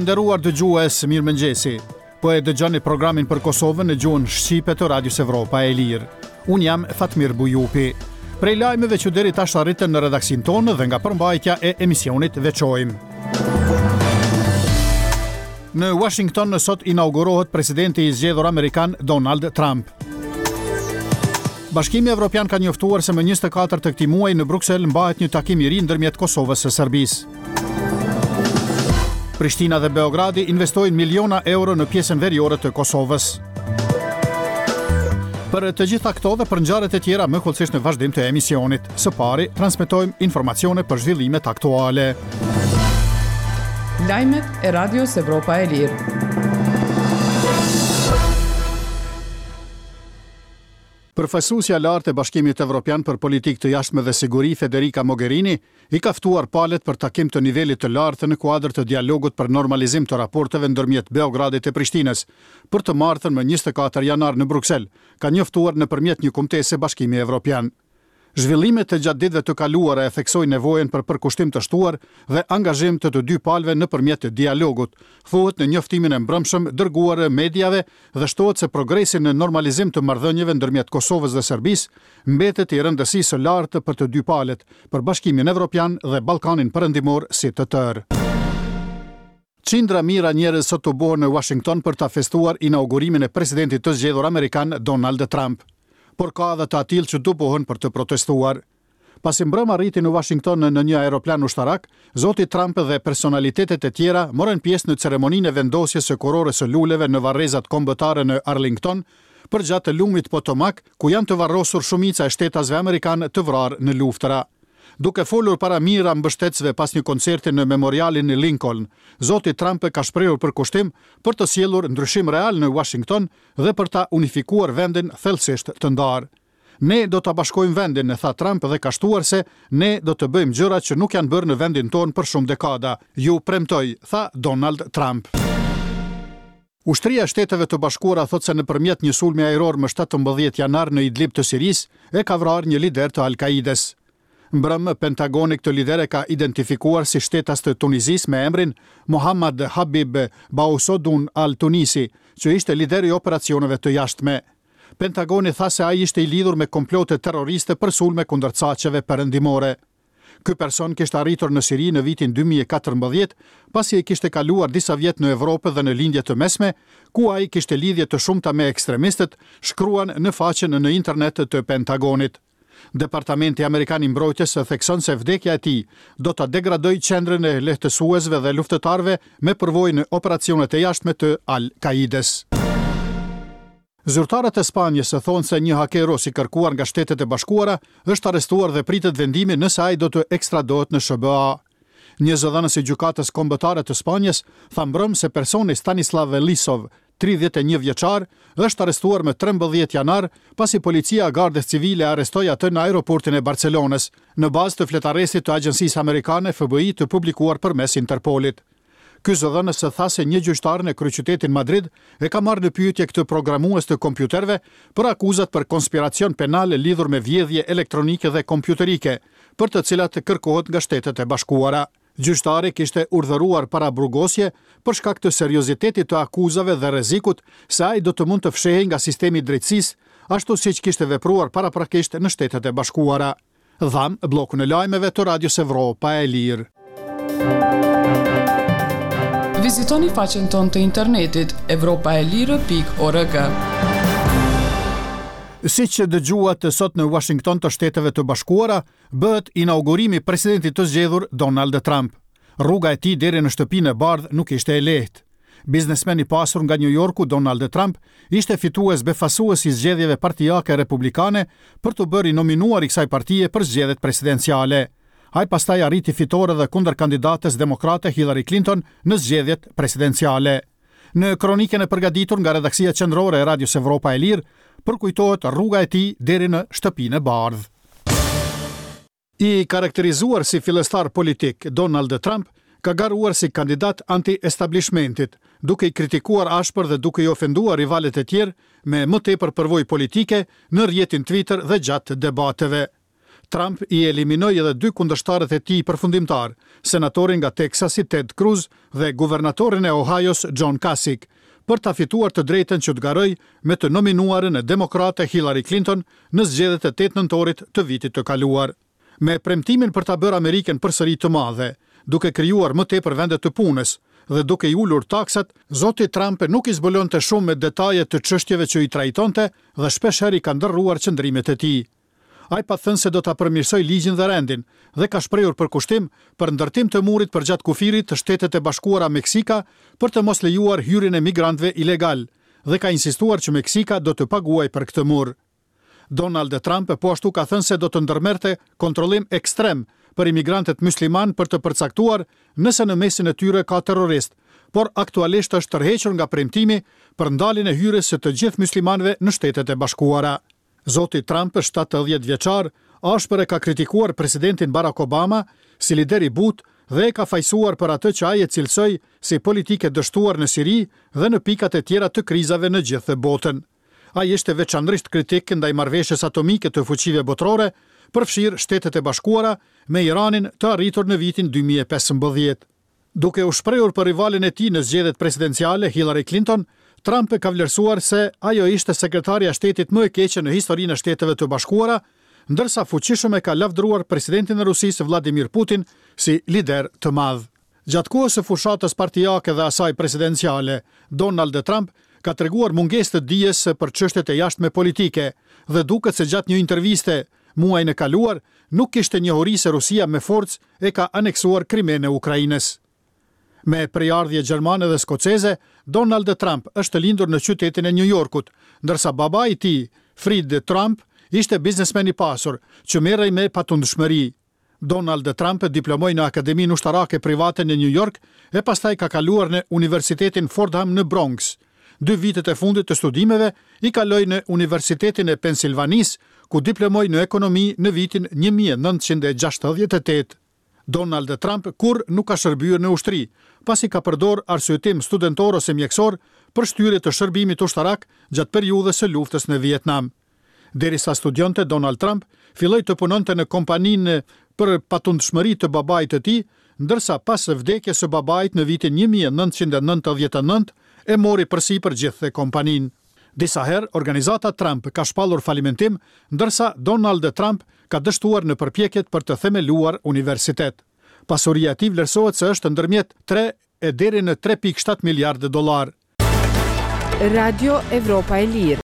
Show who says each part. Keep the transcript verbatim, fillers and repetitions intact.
Speaker 1: Të nderuar dëgjues, mirëmëngjesi. Po e dëgjoni programin për Kosovën në gjuhën shqipe të Radios Evropa e Lirë. Unë jam Fatmir Bujupi. Prej lajmeve që deri tash arritën në redaksinë tonë dhe nga përmbajtja e emisionit veçojmë. Në Washington në sot inaugurohet presidenti i zgjedhur amerikan Donald Trump. Bashkimi Evropian ka njoftuar se më njëzet e katër të këtij muaji në Bruksel mbahet një takim i ri ndërmjet Kosovës e Serbisë. Prishtina dhe Beogradi investojnë miliona euro në pjesën veriore të Kosovës. Për të gjitha këto dhe për ngjarjet e tjera më hollësisht në vazhdim të emisionit. Së pari, transmetojmë informacione për zhvillimet aktuale.
Speaker 2: Lajmet e Radios Evropa e Lirë.
Speaker 1: Përfaqësuesja e lartë e Bashkimit Evropian për politikë të jashtme dhe siguri, Federica Mogherini, i ka ftuar palët për takim të nivelit të lartë në kuadër të dialogut për normalizim të raporteve ndërmjet Beogradit e Prishtinës, për të martën më njëzet e katër janar në Bruksel, ka njoftuar nëpërmjet një kumtese Bashkimi Evropian. Zhvillimet e gjatë ditëve të kaluara e theksojnë nevojën për përkushtim të shtuar dhe angazhim të të dy palëve nëpërmjet dialogut, thuhet në njoftimin e mbrëmshëm dërguar mediave dhe shtohet se progresi në normalizim të marrëdhënieve ndërmjet Kosovës dhe Serbisë mbetet i rëndësisë së lartë për të dy palët, për Bashkimin Evropian dhe Ballkanin Perëndimor si të tërë. Qindra mijëra njerëz sot tubohen në Washington për ta festuar inaugurimin e presidentit të zgjedhur amerikan Donald Trump. Por ka edhe të atillë që tubohen për të protestuar. Pasi mbrëmë arriti në Washington në një aeroplan ushtarak, zoti Trump dhe personalitetet e tjera morën pjesë në ceremoninë e vendosjes së kurorës së luleve në varrezat kombëtare në Arlington, përgjatë lumit Potomac, ku janë të varrosur shumica e shtetasve amerikanë të vrarë në luftëra. Duke folur para mijëra mbështetësve pas një koncerti në memorialin e Lincoln, zoti Trump ka shprehur përkushtim për të sjellur ndryshim real në Washington dhe për ta unifikuar vendin thellësisht të ndarë. "Ne do ta bashkojmë vendin", tha Trump dhe ka shtuar se "ne do të bëjmë gjëra që nuk janë bërë në vendin tonë për shumë dekada. Ju premtoj", tha Donald Trump. Ushtria e Shteteve të Bashkuara thotë se nëpërmjet një sulmi ajror më shtatëmbëdhjetë janar në Idlib të Sirisë e ka vrarë një lider të Al-Qaides. Mbrëmë, Pentagoni këtë lider e ka identifikuar si shtetas të Tunizisë me emrin Mohammad Habib Bausodun al-Tunisi, që ishte lider i operacioneve të jashtme. Pentagoni tha se ai ishte i lidhur me komplote terroriste për sulme kundër caqeve perëndimore. Ky person kishte arritur në Siri në vitin dy mijë e katërmbëdhjetë, pasi e kishte kaluar disa vjet në Evropë dhe në Lindje të Mesme, ku ai kishte lidhje të shumta me ekstremistët, shkruan në faqen në internet të Pentagonit. Departamenti Amerikan i Mbrojtjes thekson se vdekja e tij do ta degradojë qendrën e lehtësuesve dhe luftëtarëve me përvojë në operacionet e jashtme të Al-Qaides. Zyrtarët e Spanjës thonë se një haker rus i kërkuar nga Shtetet e Bashkuara është arrestuar dhe pritet vendimi nëse ai do të ekstradohet në S H B A. Një zëdhënës i Gjykatës Kombëtare të Spanjës tha mbrëmë se personi Stanislav Lisov, tridhjetë e një vjeçar, është arrestuar më trembëdhjetë janar pasi policia e Gardës Civile arrestoi atë në aeroportin e Barcelonës, në bazë të fletarrestit të agjencisë amerikane F B I të publikuar përmes Interpolit. Ky zëdhënës tha se një gjyqtar në kryeqytetin Madrid e ka marrë në pyetje këtë programues të kompjuterëve për akuzat për konspiracion penal lidhur me vjedhje elektronike dhe kompjuterike, për të cilat kërkohet nga Shtetet e Bashkuara. Gjyqtari kishte urdhëruar paraburgosje për shkak të seriozitetit të akuzave dhe rrezikut se ai do të mund të fshehej nga sistemi i drejtësisë, ashtu siç kishte vepruar paraprakisht në Shtetet e Bashkuara. Dham bllokun e lajmeve të Radios Evropa e Lirë.
Speaker 2: Vizitoni faqen tonë të internetit evropaelire pikë org.
Speaker 1: Si që dëgjuat, sot në Washington të Shteteve të Bashkuara bëhet inaugurimi i presidentit të zgjedhur Donald Trump. Rruga e tij deri në Shtëpinë e Bardhë nuk ishte e lehtë. Biznesmen i pasur nga New Yorku, Donald Trump, ishte fitues befasues i zgjedhjeve partiake republikane për të bërë i nominuar i kësaj partie për zgjedhjet presidenciale. Ai pastaj arriti fitore dhe kundër kandidates demokrate Hillary Clinton në zgjedhjet presidenciale. Në kronikën e përgatitur nga redaksia qendrore e Radios Evropa e Lirë, përkujtohet rruga e tij deri në Shtëpinë e Bardhë. I karakterizuar si fillestar politik, Donald Trump ka garuar si kandidat anti-establishmentit, duke i kritikuar ashpër dhe duke i ofenduar rivalët e tjerë me më tepër përvojë politike në rrjetin Twitter dhe gjatë debateve. Trump i eliminoi edhe dy kundërshtarët e tij përfundimtar, senatorin nga Texasi Ted Cruz dhe guvernatorin e Ohios John Kasich, për ta fituar të drejtën që të garojë me të nominuarën e demokrate Hillary Clinton në zgjedhjet e tetë nëntorit të vitit të kaluar. Me premtimin për ta bërë Amerikën përsëri të madhe, duke krijuar më tepër vende të punës dhe duke i ulur taksat, zoti Trump nuk i zbulonte shumë me detaje të çështjeve që i trajtonte dhe shpeshherë i ka ndërruar qëndrimet e tij. Ai pa thënë se do ta përmirësojë ligjin dhe rendin dhe ka shprehur përkushtim për ndërtim të murit përgjatë kufirit të Shtetet e Bashkuara Meksika për të mos lejuar hyrjen e migrantëve ilegal dhe ka insistuar që Meksika do të paguajë për këtë mur. Donald Trump po ashtu ka thënë se do të ndërmerrte kontrollim ekstrem për imigrantët musliman për të përcaktuar nëse në mesin e tyre ka terrorist, por aktualisht është tërhequr nga premtimi për ndaljen e hyrjes së të gjithë muslimanëve në Shtetet e Bashkuara. Zoti Trump, shtatëdhjetë vjeçar, ashpër e ka kritikuar presidentin Barack Obama si lider i butë dhe e ka fajësuar për atë që ai e cilësoi si politikë e dështuar në Siri dhe në pikat e tjera të krizave në gjithë botën. Ai ishte veçanërisht kritik ndaj marrëveshjes atomike të fuqive botërore, përfshirë Shtetet e Bashkuara me Iranin të arritur në vitin dy mijë e pesëmbëdhjetë. Duke u shprehur për rivalin e tij në zgjedhjet presidenciale Hillary Clinton, Trump ka vlerësuar se ajo ishte sekretarja e shtetit më e keqe në historinë e Shteteve të Bashkuara, ndërsa fuqishëm e ka lavdëruar presidentin e Rusisë Vladimir Putin si lider të madh. Gjatë kohës së fushatës partijake dhe asaj presidenciale, Donald Trump ka treguar mungesë të dijes për çështjet e jashtme politike dhe duket se gjatë një interviste muajin e kaluar nuk kishte njohuri se Rusia me forcë e ka aneksuar Krimenë e Ukrainës. Me prejardhje gjermane dhe skoceze, Donald Trump është lindur në qytetin e New Yorkut, ndërsa babai i tij, Fred Trump, ishte biznesmen i pasur që merrej me patundshmëri. Donald Trump diplomoi në Akademinë Ushtarake Private në New York e pastaj ka kaluar në Universitetin Fordham në Bronx. Dy vitet e fundit të studimeve i kaloi në Universitetin e Pensilvanisë, ku diplomoi në ekonomi në vitin një mijë e nëntëqind e gjashtëdhjetë e tetë. Donald Trump kur nuk ka shërbyer në ushtri, pasi ka përdor arsyetim studentor ose mjekësor për shtyrje të shërbimit ushtarak gjatë periudhës së luftës në Vietnam. Derisa studionte, Donald Trump filloi të punonte në kompaninë për patundshmëri të babait të tij, ndërsa pas vdekjes së babait në vitin një mijë e nëntëqind e nëntëdhjetë e nëntë e mori përsipër gjithë kompaninë. Disa herë, organizata Trump ka shpallur falimentim, ndërsa Donald Trump ka dështuar në përpjekjet për të themeluar universitet. Pasuria e tij vlerësohet se është ndërmjet tre e deri në tre pikë shtatë miliardë dollar.
Speaker 3: Radio Evropa e Lirë.